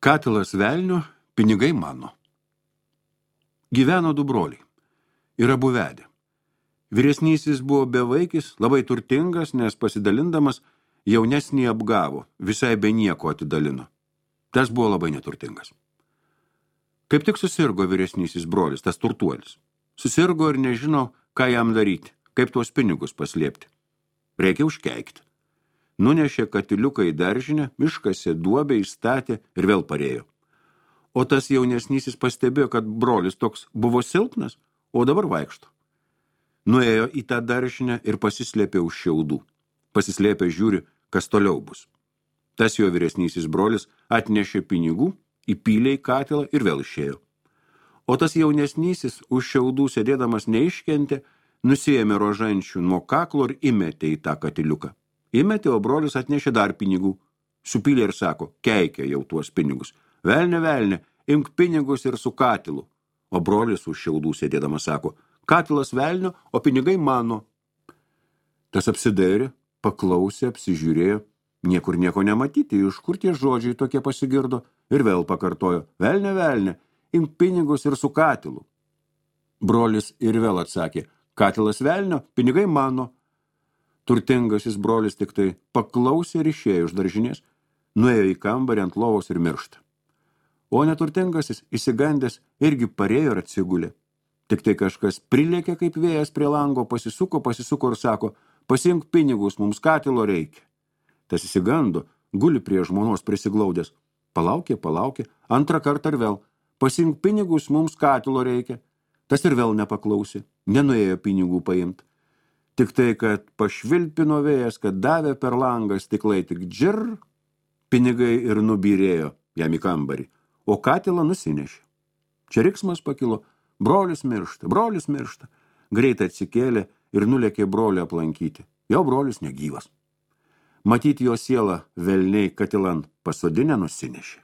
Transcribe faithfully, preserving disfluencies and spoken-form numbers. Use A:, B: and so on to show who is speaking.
A: Katilas velnio, pinigai mano. Gyveno du broliai. Ir abu vedė. Vyresnysis buvo bevaikis, labai turtingas, nes pasidalindamas jaunesnį apgavo, visai be nieko atidalino. Tas buvo labai neturtingas. Kaip tik susirgo vyresnysis brolis, tas turtuolis. Susirgo ir nežino, ką jam daryti, kaip tuos pinigus paslėpti. Reikia užkeikti. Nunešė katiliuką į daržinę, iškasė duobę, įstatė ir vėl parėjo. O tas jaunesnysis pastebėjo, kad brolis toks buvo silpnas, o dabar vaikšto. Nuėjo į tą daržinę ir pasislėpė už šiaudų. Pasislėpė žiūri, kas toliau bus. Tas jo vyresnysis brolis atnešė pinigų, įpylė į katilą ir vėl išėjo. O tas jaunesnysis už šiaudų sėdėdamas neiškentė, nusiėmė rožančių nuo kaklo ir įmetė į tą katiliuką. Įmetė, o brolis atnešė dar pinigų. Supylė ir sako, keikia jau tuos pinigus. Velne, velne, imk pinigus ir su katilu. O brolis už šiaudų sėdėdamas sako, katilas velnio, o pinigai mano. Tas apsidairė, paklausė, apsižiūrėjo, niekur nieko nematyti, iš kur tie žodžiai tokie pasigirdo, ir vėl pakartojo, velne, velne, imk pinigus ir su katilu. Brolis ir vėl atsakė, katilas velnio, pinigai mano. Turtingasis brolis tik tai paklausė ir išėjo iš daržinės, nuėjo į kambarį ant lovos ir miršta. O neturtingasis, įsigandęs, irgi parėjo ir atsigulė. Tik tai kažkas prilėkė kaip vėjas prie lango, pasisuko, pasisuko ir sako, pasiimk pinigus, mums katilo reikia. Tas įsigando, guli prie žmonos prisiglaudęs. Palaukė, palaukė, antrą kartą ir vėl. Pasiimk pinigus, mums katilo reikia. Tas ir vėl nepaklausė, nenuėjo pinigų paimti. Tik tai, kad pašvilpino vėjas, kad davė per langą stiklai tik džir, pinigai ir nubyrėjo jam į kambarį, o katilą nusinešė. Čia riksmas pakilo, brolis miršta, brolis miršta. Greitai atsikėlė ir nulėkė brolį aplankyti. Jo brolis negyvas. Matyti jo sielą velniai katilan pasodinę nusinešė.